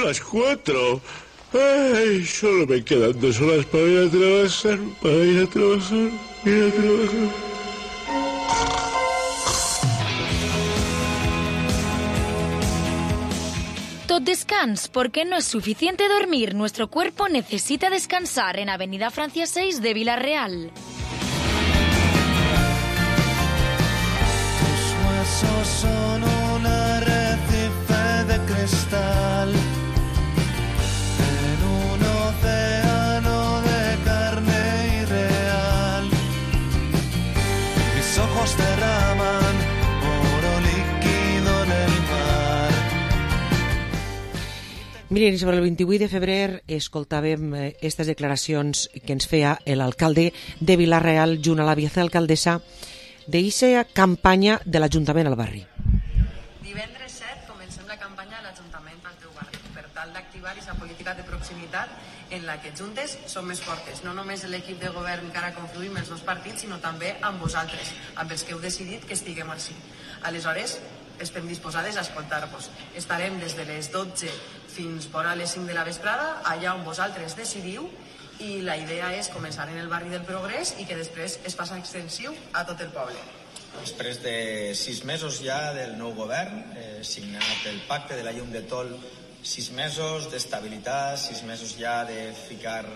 las 4. Ay, solo me quedan 2 horas para ir a trabajar. Tot descans, porque no es suficiente dormir. Nuestro cuerpo necesita descansar en Avenida Francia 6 de Villarreal. Tus huesos son un arrecife de cristal en un océano de carne irreal. Mis ojos derraman oro líquido en el mar. Miren, sobre el 28 de febrer escoltàvem aquestes declaracions que ens feia l'alcalde de Vila-real junt a la vicealcaldessa d'eixa campanya de l'Ajuntament al barri. Divendres 7 comencem la campanya de l'Ajuntament al teu barri per tal d'activar aquesta política de proximitat en la que juntes som més fortes, no només l'equip de govern que ara confluïm els dos partits, sinó també amb vosaltres, amb els que heu decidit que estiguem així. Aleshores, estem disposades a escoltar-vos. Estarem des de les 12 fins vora les 5 de la vesprada, allà on vosaltres decidiu, i la idea és començar en el barri del Progrés i que després es faci extensiu a tot el poble. Després de 6 mesos ja del nou govern, signat el pacte de la llum de Tol, 6 mesos d'estabilitat, 6 mesos ja de ficar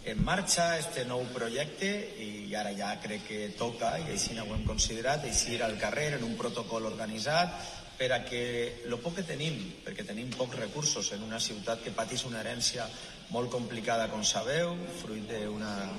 en marxa este nou projecte, i ara ja crec que toca, i així ho hem considerat, eixir al carrer en un protocol organitzat per a que el poc que tenim, perquè tenim pocs recursos en una ciutat que pateix una herència molt complicada, com sabeu, fruit d'una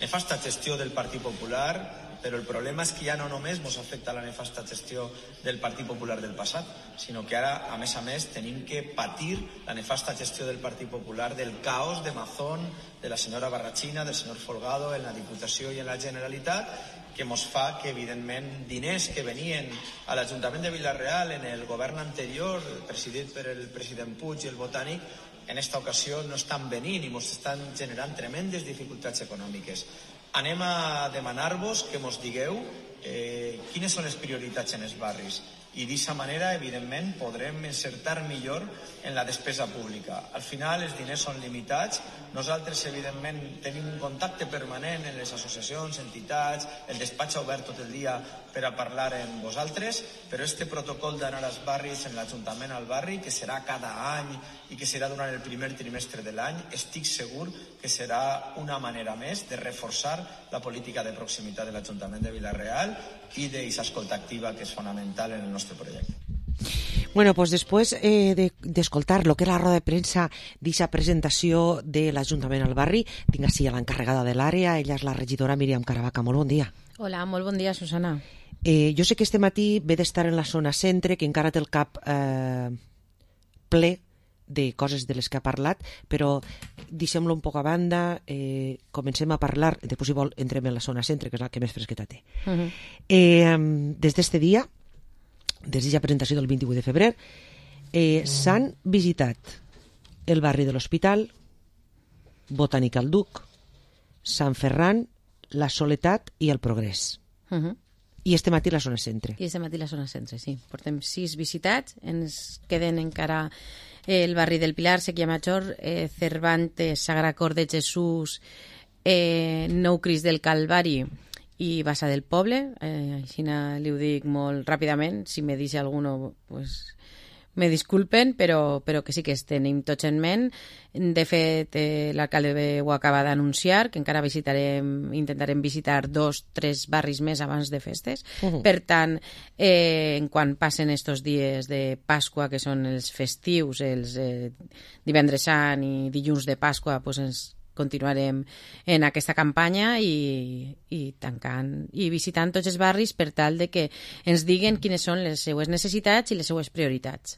nefasta gestió del Partit Popular, però el problema és que ja no només ens afecta la nefasta gestió del Partit Popular del passat, sinó que ara, a més, tenim que patir la nefasta gestió del Partit Popular, del caos de Mazón, de la senyora Barrachina, del senyor Folgado en la Diputació i en la Generalitat, que ens fa que, evidentment, diners que venien a l'Ajuntament de Vila-real en el govern anterior, presidit per el president Puig i el Botànic, en esta ocasió no estan venint i ens estan generant tremendes dificultats econòmiques. Anem a demanar-vos que ens digueu quines són les prioritats en els barris, i d'aquesta manera, evidentment, podrem encertar millor en la despesa pública. Al final, els diners són limitats. Nosaltres, evidentment, tenim un contacte permanent en les associacions, entitats, el despatx obert tot el dia per a parlar amb vosaltres, però este protocol d'anar als barris, en l'Ajuntament al barri, que serà cada any i que serà durant el primer trimestre de l'any, estic segur que serà una manera més de reforçar la política de proximitat de l'Ajuntament de Vila-real i d'aquesta escolta activa que és fonamental en el nostre projecte. Bueno, pues después d'escoltar lo que era la roda de premsa d'aquesta presentació de l'Ajuntament al barri, tinc així a l'encarregada de l'àrea, ella és la regidora Míriam Caravaca. Molt bon dia. Hola, molt bon dia, Susana. Jo sé que este matí ve d'estar en la zona centre, que encara té el cap ple de coses de les que ha parlat, però deixem-lo un poc a banda, comencem a parlar, després si vol entrem en la zona centre, que és la que més fresqueta té. Des d'este dia, des d'aquesta presentació del 28 de febrer, s'han visitat el barri de l'Hospital, Botànic al Duc, Sant Ferran, la Soledat i el Progrés. I este matí la zona centre. I este matí la zona centre, sí. Portem 6 visitats, ens queden encara el barri del Pilar, Sèquia Major, Cervantes, Sagrada Cor de Jesús, Nou Crist del Calvari i Bassa del Poble. Així li ho dic molt ràpidament, si me deixa alguno, pues me disculpen, però que sí que els tenim tots en ment. De fet, l'alcalde ho acaba d'anunciar, que encara intentarem visitar 2-3 barris més abans de festes. Per tant, quan passen estos dies de Pasqua, que són els festius, els divendres sant i dilluns de Pasqua, doncs ens continuarem en aquesta campanya i tancant i visitant tots els barris per tal de que ens diguen quines són les seues necessitats i les seues prioritats.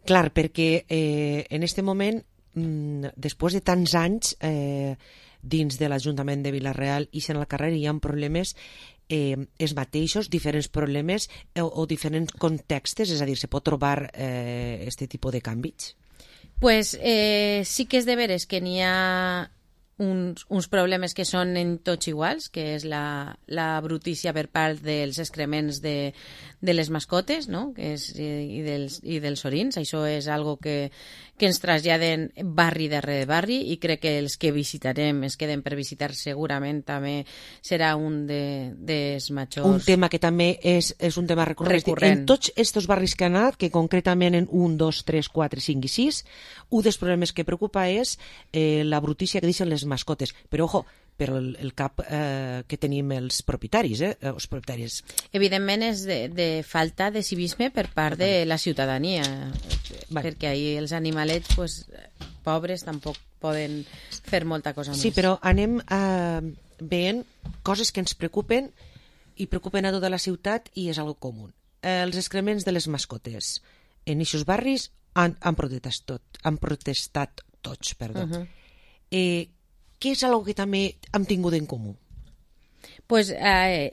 Clar, perquè en aquest moment, després de tants anys dins de l'Ajuntament de Vila-real i en el carrer hi ha problemes els mateixos, diferents problemes o diferents contextes, és a dir, se pot trobar aquest tipus de canvis? Pues sí que és de veres que n'hi ha uns problemes que són en tots iguals, que és la brutícia per part dels excrements de les mascotes, no? Que és, i dels orins. Això és algo que ens traslladen barri darrere barri, i crec que els que visitarem, es queden per visitar, segurament també serà un dels majors... Un tema que també és un tema recurrent. En tots aquests barris que han anat, que concretament en 1, 2, 3, 4, 5 i 6, un dels problemes que preocupa és la brutícia que deixen les mascotes. Però, ojo, per el cap que tenim els propietaris, els propietaris. Evidentment és de falta de civisme per part de la ciutadania, perquè ahir els animalets, pues, pobres, tampoc poden fer molta cosa més. Sí, però anem veient coses que ens preocupen i preocupen a tota la ciutat, i és algo comú. Els excrements de les mascotes en aquests barris han protestat tots. Què és algo que també hem tingut en comú? Pues,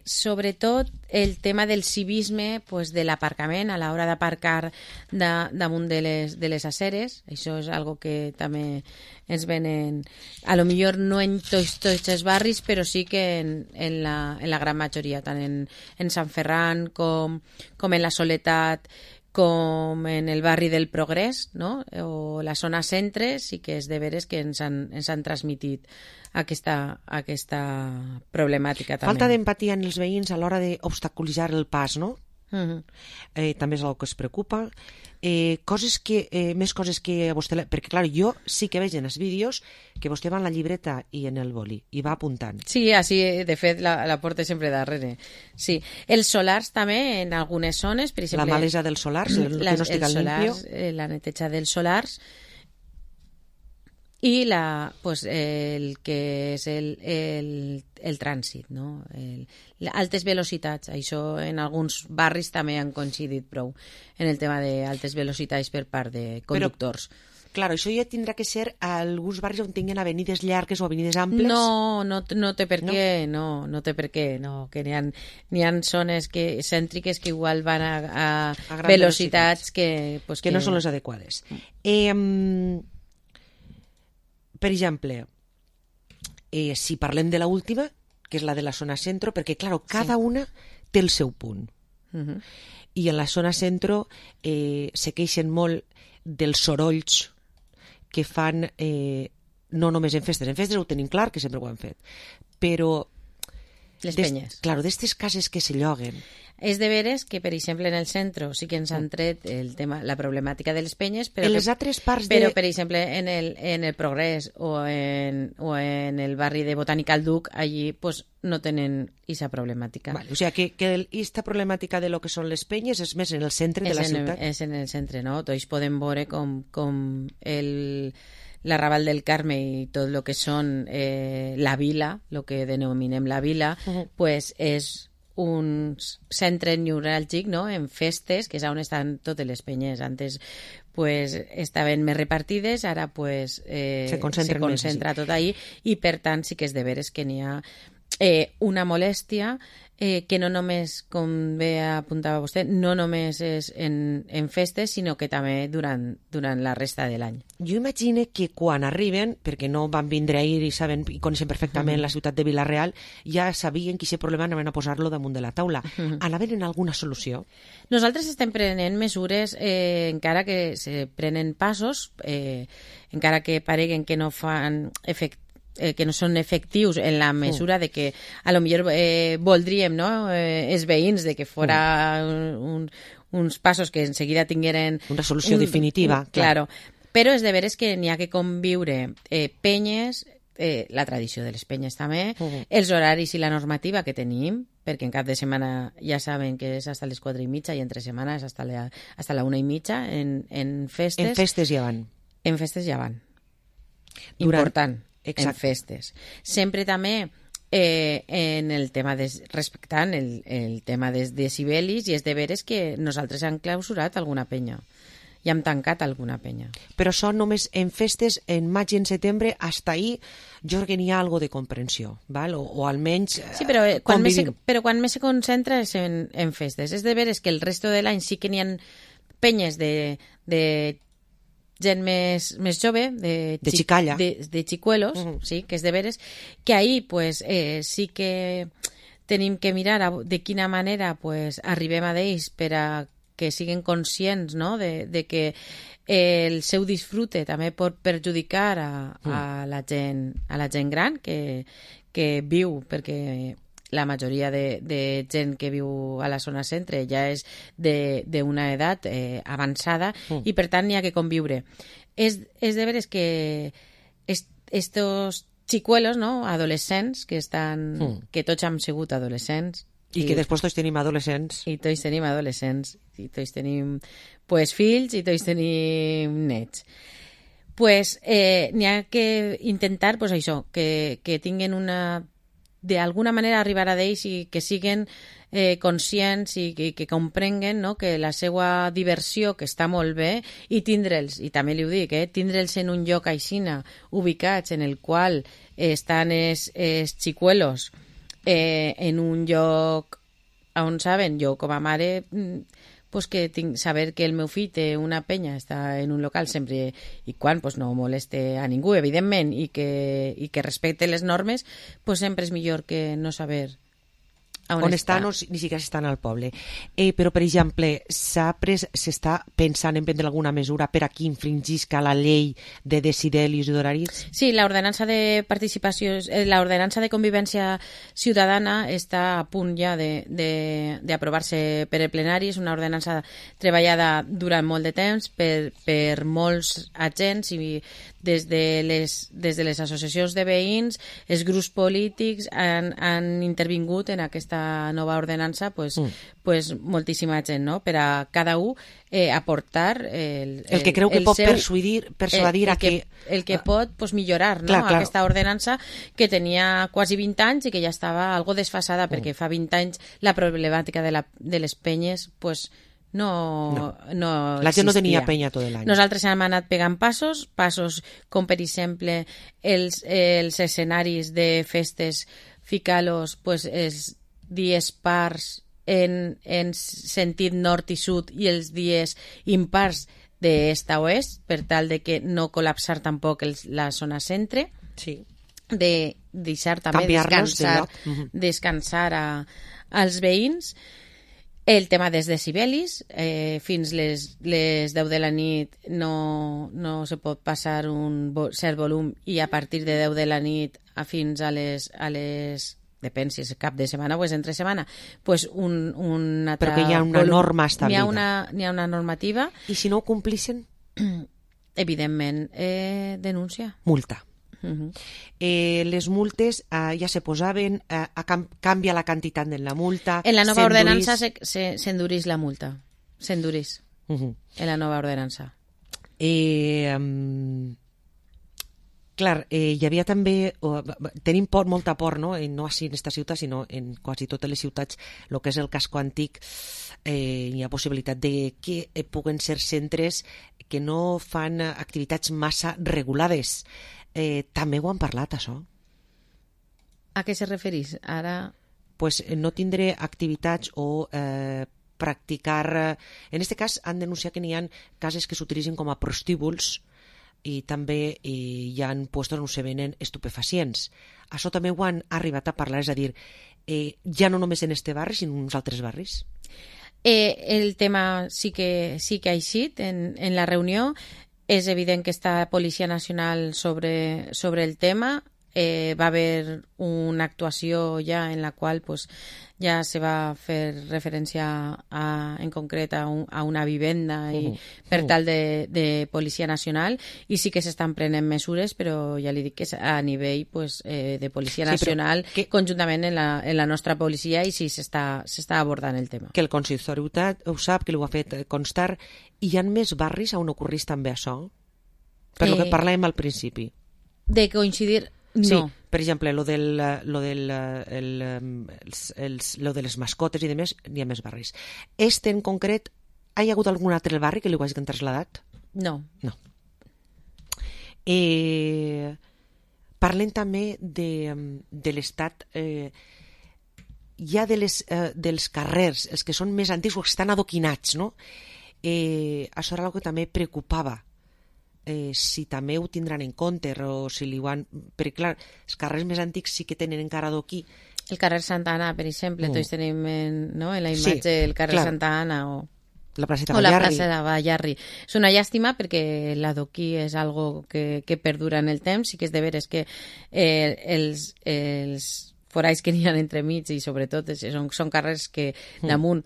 sobretot el tema del civisme, pues, de l'aparcament a l'hora d'aparcar damunt de les aceres. Això és algo que també ens venen, a lo millor no en tots els barris, però sí que en la gran majoria, tant en Sant Ferran com en la Soledat, com en el barri del Progrés, no? O la zona centre, sí que és de veres que ens han transmitit aquesta problemàtica també. Falta d'empatia en els veïns a l'hora d'obstaculitzar el pas, no? També és una que es preocupa. Més coses que a vostè... Perquè, clar, jo sí que veig en els vídeos que vostè va en la llibreta i en el boli i va apuntant. Sí, així, de fet, la porta sempre darrere. Sí. Els solars també, en algunes zones, per exemple... La malesa dels solars, el que no estigui limpio. La neteja dels solars, i el que és el trànsit, no? Altes velocitats. Això en alguns barris també han coincidit prou en el tema d'altes velocitats per part de conductors. Però, clar, això ja tindrà que ser a alguns barris on tinguin avenides llargues o avenides amples? No té per què, no té per què, no, que n'hi ha zones cèntriques que igual van a velocitats que no són les adequades. Per exemple, si parlem de l'última, que és la de la zona centro, perquè, clar, cada una té el seu punt. I en la zona centro se queixen molt dels sorolls que fan, no només en festes ho tenim clar, que sempre ho han fet, però... Les penyes. Claro, d'estes cases que se lloguen. És de veres que, per exemple, en el centre sí que ens han tret el tema, la problemàtica de les penyes, però, en les altres parts però per exemple, en el Progrés o en el barri de Botànica al Duc, allí pues, no tenen aquesta problemàtica. Vale, o sigui que aquesta problemàtica de lo que són les penyes és més en el centre de la ciutat. És en el centre, no? Tots podem veure com l'Arrabal del Carme i tot el que són la vila, el que denominem la vila, pues és un centre neuràlgic, no? En festes, que és on estan totes les penyes. Antes pues, estaven més repartides, ara pues, se concentra tot ahí, i per tant sí que és de veres que n'hi ha una molèstia que no només, com bé apuntava vostè, no només és en festes, sinó que també durant la resta de l'any. Jo imagino que quan arriben, perquè no van vindre ahir i coneixen perfectament la ciutat de Vila-real, ja sabien que aquest problema anaven a posar-lo damunt de la taula. Anaven en alguna solució? Nosaltres estem prenent mesures, encara que se prenen passos, encara que pareguen que no fan que no són efectius en la mesura de que a lo millor voldríem, no? Els veïns de que fora uns passos que enseguida tingueren una solució definitiva, claro. Però és de veres que n'hi ha que conviure penyes, la tradició de les penyes també, els horaris i la normativa que tenim, perquè en cap de setmana ja saben que és hasta les 4:30 i entre setmana és hasta la 1:30 en festes. En festes ja van. En festes ja van. Important. En festes. Sempre també en el tema respectant el tema dels decibelis, i és de veres que nosaltres hem clausurat alguna penya i hem tancat alguna penya. Però són només en festes, en maig i en setembre, hasta ahí jo crec que n'hi ha algo de comprensió, val? O almenys sí, però quan més se concentra és en festes. És de veres que el resto de l'any sí que n'hi ha penyes de gent més jove, de xicalla. de xicuelos, sí, que és de veres, que ahí pues, sí que tenim que mirar de quina manera pues, arribem a d'ells per a que siguin conscients, no?, de que el seu disfrute també pot perjudicar a la gent gran que viu, perquè la majoria de gent que viu a la zona centre ja és d'una edat avançada i per tant n'hi ha que conviure. És de veres que estos xicuelos, no?, adolescents que tots hem sigut adolescents i que després tots tenim adolescents i tots tenim pues, fills i tots tenim nets, pues, n'hi ha que intentar pues, això, que tinguin d'alguna manera arribar a d'ells i que siguin conscients i que comprenguen, no?, que la seva diversió, que està molt bé, i tindre'ls, i també li ho dic, tindre'ls en un lloc aixina, ubicats en el qual estan els xicuelos en un lloc on saben, jo com a mare pues que saber que el meu fill té una penya, està en un local sempre i quan pues, no moleste a ningú, evidentment, i que respecte les normes, pues sempre és millor que no saber on està. No, ni siquiera estan al poble. Però, per exemple, s'està pensant en prendre alguna mesura per a qui infringisca la llei de decidelis i d'horaris? Sí, l'ordenança de participació, l'ordenança de convivència ciutadana està a punt ja d'aprovar-se per el plenari. És una ordenança treballada durant molt de temps per molts agents i des de les associacions de veïns, els grups polítics han intervingut en aquesta nova ordenança pues moltíssima gent, no?, per a cada un aportar el que creu que pot persuadir el que pot pues, millorar, no?, clar. Aquesta ordenança que tenia quasi 20 anys i que ja estava algo desfasada perquè fa 20 anys la problemàtica de les penyes pues, no la gent no tenia penya tot l'any. Nosaltres hem anat pegant passos com per exemple els escenaris de festes ficar-los pues, els dies pars en sentit nord i sud i els dies impars d'est a oest per tal de que no col·lapsar tampoc la zona centre, sí, de deixar també descansar als veïns. El tema dels decibelis, fins les 10 de la nit no se pot passar un cert volum i a partir de 10 de la nit fins a les depèn si és cap de setmana o és entre setmana, pues un altre però que hi ha una norma establida. N'hi ha una normativa. I si no ho complissin? Evidentment, denúncia. Multa. Les multes ja se posaven, canvia la quantitat de la multa. En la nova ordenança s'endurís la multa. S'endurís. En la nova ordenança. Clar, hi havia també... Tenim molta por, no? No així en aquesta ciutat, sinó en quasi totes les ciutats, el que és el casco antic, hi ha possibilitat de que puguen ser centres que no fan activitats massa regulades. També ho han parlat, això. A què se referís? Ara... Pues no tindré activitats o practicar... En aquest cas han denunciat que n'hi ha cases que s'utilitzen com a prostíbuls i també hi ha puestos on se venen estupefacients. Això també ho han arribat a parlar, és a dir, ja no només en este barri, sinó en uns altres barris. El tema sí que ha eixit en la reunió. És evident que està Policia Nacional sobre el tema. Va haver una actuació ja en la qual pues, ja se va fer referència en concret a una vivenda i per tal de Policia Nacional, i sí que s'estan prenent mesures, però ja li dic que és a nivell pues, de Policia Nacional conjuntament en la nostra policia, i sí s'està abordant el tema. Que el consistori ho sap, que ho ha fet constar. Hi ha més barris on ocorrís també això? Per lo que parlàvem al principi. De coincidir... No. Sí, per exemple, lo de les mascotes i demés, n'hi ha més barris. En concret, hi ha hagut algun altre barri que li ho hagin traslladat? No. Parlem també de l'estat ja dels carrers, els que són més antics o que estan adoquinats, no? Això era el que també preocupava si també ho tindran en compte o si li ho han... Perquè, clar, els carrers més antics sí que tenen encara adoquí. El carrer Santa Anna, per exemple, tots tenim en la imatge el carrer Santa Anna o la plaça de Ballarri. És una llàstima perquè l'adoquí és algo que perdura en el temps i que és de veres que els foralls que n'hi ha entremig i sobretot són carrers que damunt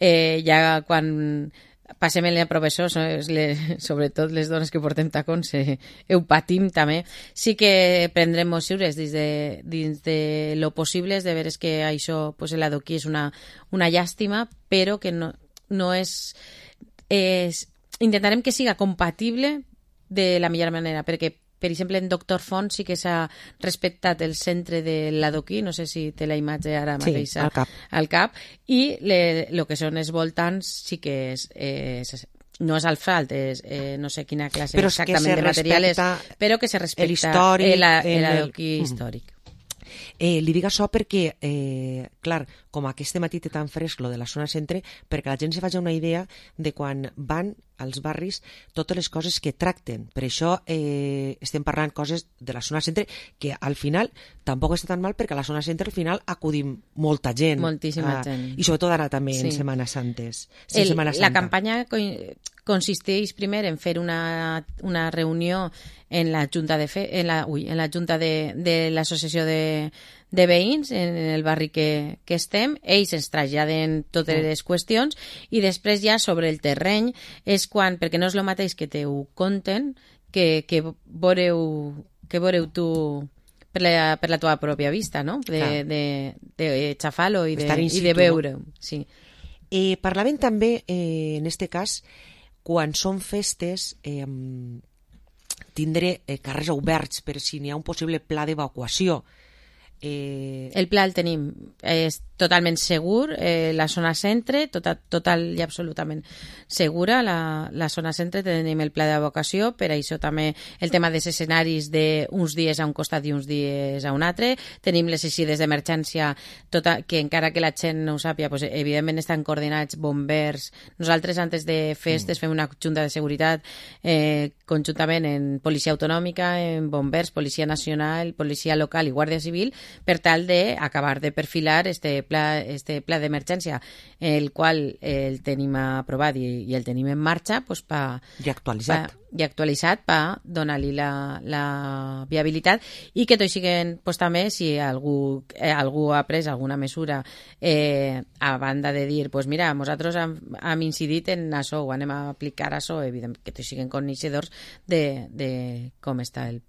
ja quan passem en la professor, sobretot les dones que portem tacons, ho patim també. Sí que prendrem mesures dins de lo possible, és de veres que això, pues, l'adoquí és una llàstima, però que no és... Intentarem que siga compatible de la millor manera, perquè per exemple, en Doctor Font sí que s'ha respectat el centre de l'adoquí, no sé si té la imatge ara mateix al cap, i el que són els voltants sí que no és asfalt, no sé quina classe exactament de material és, però que se respecta l'adoquí històric. Li dic això perquè, clar, com aquest matí té tan fresc lo de la zona centre, perquè la gent se faci una idea de quan van als barris totes les coses que tracten. Per això estem parlant coses de la zona centre que al final tampoc està tan mal, perquè a la zona centre al final acudim molta gent. Moltíssima gent. I sobretot ara també en Setmana Santes. La campanya consisteix primer en fer una reunió en la Junta de l'Associació de Veïns en el barri que estem. Ells ens traslladen totes les qüestions i després ja sobre el terreny és quan, perquè no és el mateix que te ho conten que veureu tu per la teva pròpia vista, no? De xafar-lo i de veure-ho. Sí. Parlaven també, en este cas, quan són festes, tindre carrers oberts per si n'hi ha un possible pla d'evacuació. El pla el tenim, és totalment segur, la zona centre, total i absolutament segura, la zona centre tenim el pla d'evacuació, per això també el tema dels escenaris d'uns dies a un costat i uns dies a un altre, tenim les eixides d'emergència, que encara que la gent no ho sàpia, pues, evidentment estan coordinats bombers, nosaltres antes de festes fem una junta de seguretat conjuntament en policia autonòmica, en bombers, policia nacional, policia local i guàrdia civil, per tal d'acabar de perfilar este pla d'emergència, el qual el tenim aprovat i el tenim en marxa, pues, i actualitzat per donar-li la viabilitat i que tot siguen, pues, també si algú ha pres alguna mesura a banda de dir, pues mira, nosaltres hem incidit en això o anem a aplicar això, evident que tots siguen coneixedors de com està el.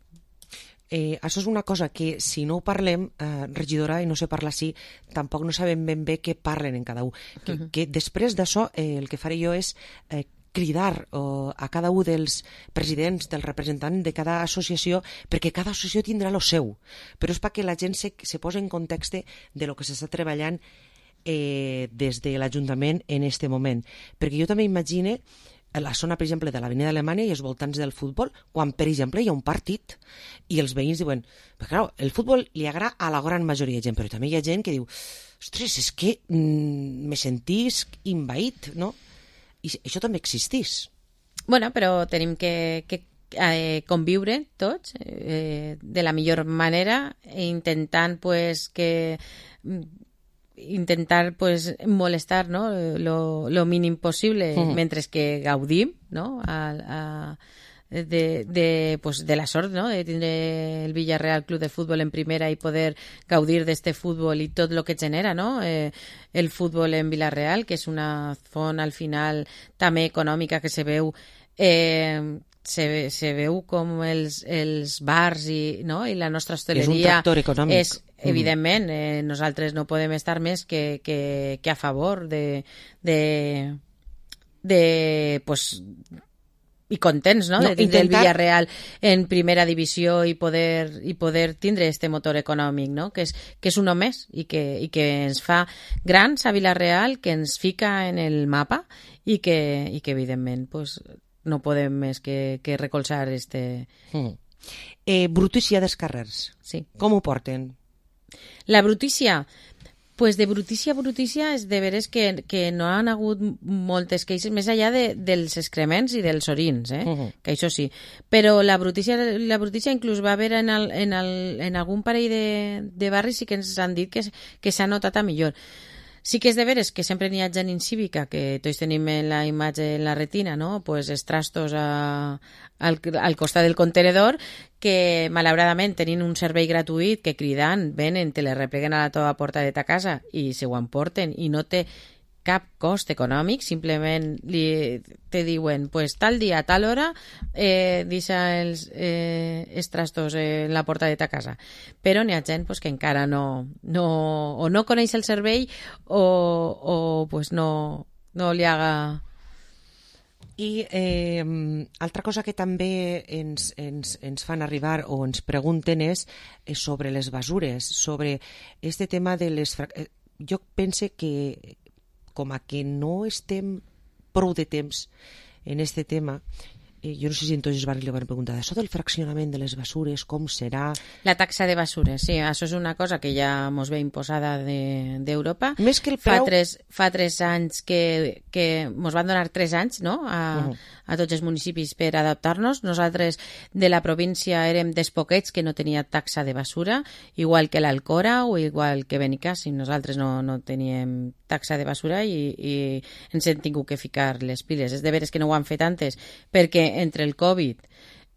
Això és una cosa que si no ho parlem, regidora, i no se parla així, tampoc no sabem ben bé què parlen en cada un. Que després d'això el que faré jo és cridar a cada un dels presidents, dels representants de cada associació, perquè cada associació tindrà el seu, però és perquè la gent se posi en context de lo que s'està treballant des de l'Ajuntament en aquest moment. Perquè jo també imagine la zona, per exemple, de l'Avenida Alemanya i els voltants del futbol, quan, per exemple, hi ha un partit i els veïns diuen, però clar, el futbol li agrada a la gran majoria de gent, però també hi ha gent que diu, ostres, és que me sentisc invaït, no? I això també existís. Bueno, però tenim que conviure tots de la millor manera, intentant pues molestar, no, lo mínim possible mentre que gaudim, no, de la sort, no, de tindre el Villarreal Club de Futbol en primera i poder gaudir d'este futbol i tot el que genera, no, el futbol en Villarreal, que és una zona al final també econòmica que se veu se veu com els bars i la nostra hostaleria és un tractor econòmic. Evidentment, nosaltres no podem estar més que a favor de pues, i contents, no? De tindre el Villarreal en primera divisió i poder tindre este motor econòmic, no? Que és un més i que ens fa grans a Villarreal, que ens fica en el mapa i que evidentment pues, no podem més que recolzar este. Brutícia dels carrers. Sí. Com ho porten? La brutícia, Pues de brutícia a brutícia és de veres que no han hagut moltes queixes, més enllà dels excrements i dels orins, que això sí. Però la brutícia inclús va haver en algun parell de barris sí que ens han dit que s'ha notat a millor. Sí que és de veres que sempre n'hi ha gent incívica, que tots tenim la imatge en la retina, no? Pues els trastos al costat del contenedor, que malauradament tenint un servei gratuït que cridant, venen, te les repleguen a la teva porta de ta casa i se ho emporten i no té cap cost econòmic, simplement te diuen, pues tal dia, a tal hora, deixa els trastos en la porta de ta casa. Però n'hi ha gent pues, que encara no coneix el servei o pues no li haga... I altra cosa que també ens fan arribar o ens pregunten és sobre les basures, sobre este tema de les... Jo pense que com a que no estem prou de temps en este tema, jo no sé si entonces li van preguntar això del fraccionament de les basures, com serà... La taxa de basures, sí, això és una cosa que ja mos ve imposada d'Europa. Més que el preu... Fa 3 anys que mos van donar 3 anys, no?, a tots els municipis per adaptar-nos. Nosaltres de la província érem dels poquets que no tenia taxa de basura, igual que l'Alcora o igual que Benicàssim. Nosaltres no teníem taxa de basura i ens hem tingut que ficar les piles. És de veres que no ho han fet antes, perquè entre el Covid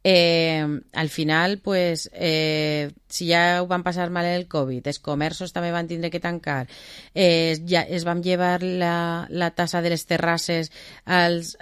al final pues, si ja ho van passar mal el Covid, els comerços també van tindre que tancar, es van llevar la tassa de les terrasses als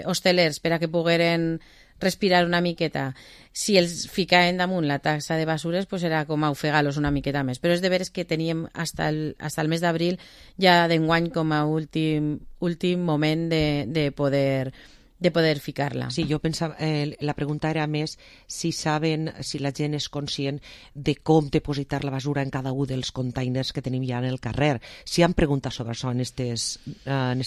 hostelers per a que pogueren respirar una miqueta. Si els ficaven damunt la taxa de basures, pues era com a ofegar-los una miqueta més. Però és de veres que teníem hasta el mes d'abril ja d'enguany com a últim moment de poder ficar-la. Sí, jo pensava, la pregunta era més si saben, si la gent és conscient de com depositar la basura en cada un dels containers que tenim ja en el carrer. Si han preguntat sobre això en estes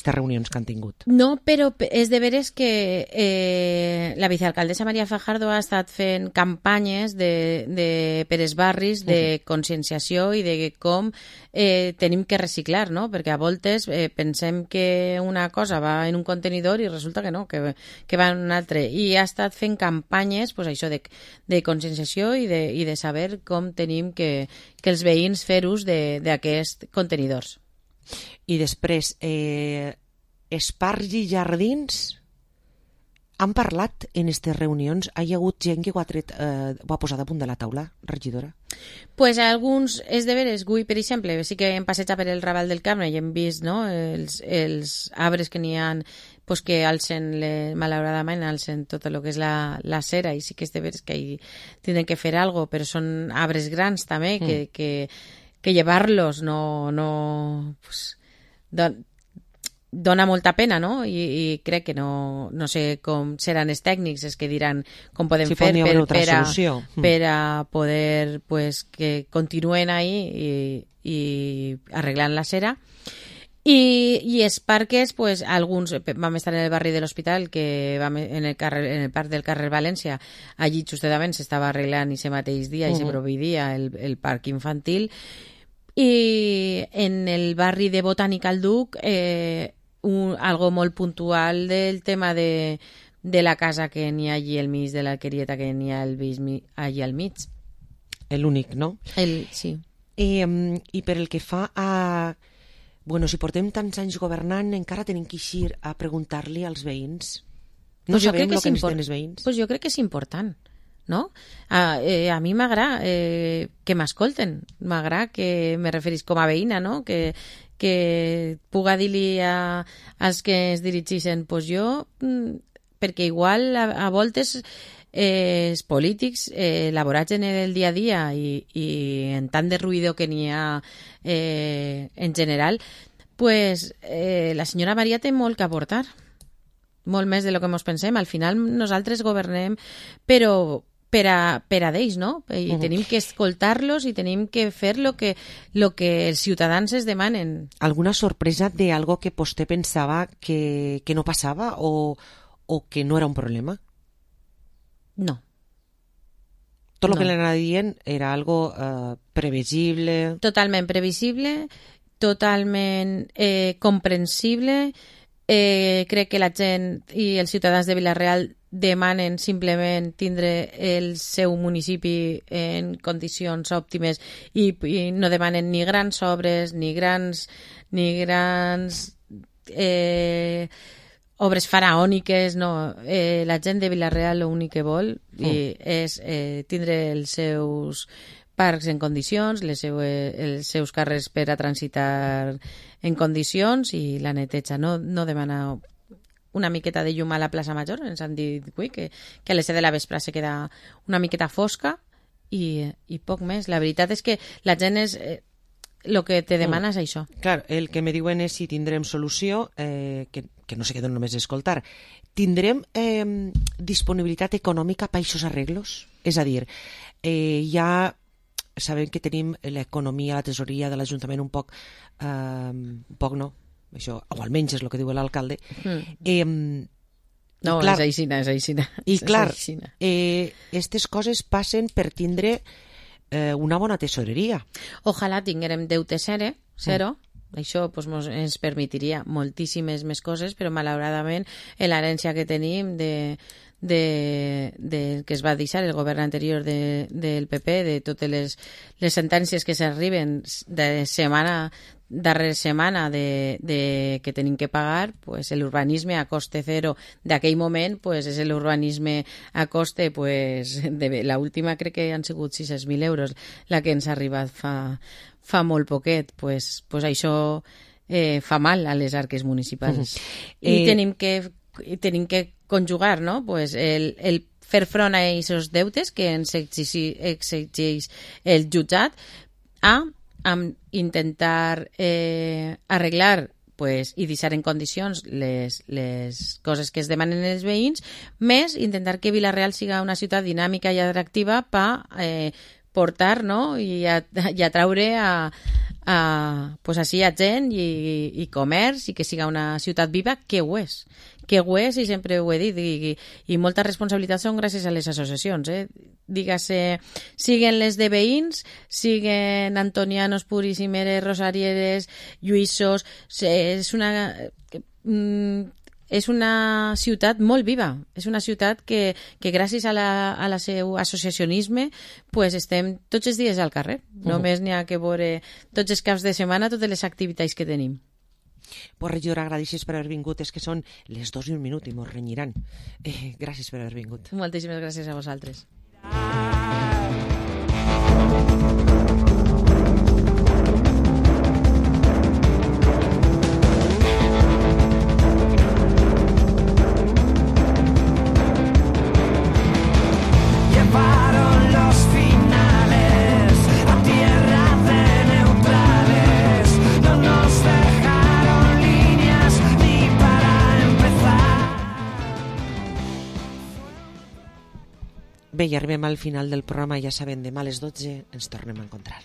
reunions que han tingut. No, però és de veres que la vicealcaldessa Maria Fajardo ha estat fent campanyes per als barris de conscienciació i de com tenim que reciclar, no? Perquè a voltes pensem que una cosa va en un contenidor i resulta que no, que va en un altre. I ha estat fent campanyes, pues, això de conscienciació i de saber com tenim que els veïns fer ús d'aquests contenidors. I després, Esparcs i Jardins han parlat en aquestes reunions? Hi ha hagut gent que ho ha posat a punt de la taula, regidora? Pues alguns, és de veres, avui, per exemple, sí que hem passejat per el Raval del Camp i hem vist, no, els arbres que n'hi ha, pues que malauradament alcen tot el que és la cera, i sí que és de veres que hi tenen que fer alguna cosa, però són arbres grans també, que llevar-los no pues, dona molta pena, no? I crec que no sé com seran els tècnics els que diran com podem fer per a poder pues, que continuen ahí i arreglant la cera. I els parques, pues, alguns vam estar en el barri de l'Hospital, que vam en el parc del carrer València, allí justament s'estava arreglant i ese mateix dia i se proveïdia el parc infantil, i en el barri de Botànica al Duc algo molt puntual del tema de la casa que n'hi ha allí al mig, de l'alquerieta que n'hi ha allí al mig. L'únic, no? Sí. I per el que fa a... Bueno, si portem tants anys governant, encara tenim que eixir a preguntar-li als veïns. No sabem el que necessiten els veïns. Pues jo crec que és important, no? A mi m'agrada que m'escolten, m'agrada que me referís com a veïna, no? Que puga dir-li als que es dirigeixen, pues jo, perquè igual a voltes els polítics elaborats en el dia a dia i en tant de ruïdo que n'hi ha en general, pues la senyora Maria té molt que aportar, molt més de lo que ens pensem. Al final nosaltres governem però per a d'ells, no? I tenim que escoltar-los i tenim que fer lo que els ciutadans es demanen. Alguna sorpresa de algo que vostè pensava que no passava o que no era un problema? No. Tot el No. que l'anava dient era algo previsible. Totalment previsible, totalment comprensible. Crec que la gent i els ciutadans de Vila-real demanen simplement tindre el seu municipi en condicions òptimes i no demanen ni grans obres ni grans obres faraòniques, no. La gent de Vila-real l'únic que vol és tindre els seus parcs en condicions, els seus carrers per a transitar en condicions i la neteja. No demana una miqueta de llum a la plaça Major, ens han dit avui que a les 7 de la vespre se queda una miqueta fosca i poc més. La veritat és que la gent és... el que te demana és això. Clar, el que me diuen és si tindrem solució, que no se queden només d'escoltar. Tindrem disponibilitat econòmica per aquests arreglos? És a dir, ja sabem que tenim l'economia, la tesoria de l'Ajuntament un poc no, això, o almenys és el que diu l'alcalde. No, clar, és aixina. I clar, aquestes coses passen per tindre una bona tesoreria. Ojalà tinguérem deute zero. Això pues, ens permetiria moltíssimes més coses, però malauradament l'herència que tenim de que es va deixar el govern anterior del PP, de totes les sentències que s'arriben de setmana darrere setmana que tenim que pagar, pues l'urbanisme a coste zero d'aquell moment pues, és l'urbanisme a coste pues, de l'última crec que han sigut 600.000 euros la que ens ha arribat fa molt poquet, pues això fa mal a les arques municipals i tenim que conjugar, no? Pues el fer front a aquests deutes que ens exigeix el jutjat amb intentar arreglar pues, i deixar en condicions les coses que es demanen els veïns, més intentar que Vila-real siga una ciutat dinàmica i atractiva per portar, no? i atraure pues, així a gent i comerç i que siga una ciutat viva, que ho és i sempre ho he dit i molta responsabilitat són gràcies a les associacions, dígase, siguen les de veïns, siguen antonianos, puríssimeres, rosarieres, lluïssos, és una ciutat molt viva, és una ciutat que gràcies a la seu associacionisme pues estem tots els dies al carrer, només n'hi ha que veure tots els caps de setmana totes les activitats que tenim. Pues regidora, gràcies per haver vingut, és que són les 2:01 i mos renyiran. Gràcies per haver vingut. Moltíssimes gràcies a vosaltres. Bé, i arribem al final del programa, ja sabem, demà a les 12 ens tornem a encontrar.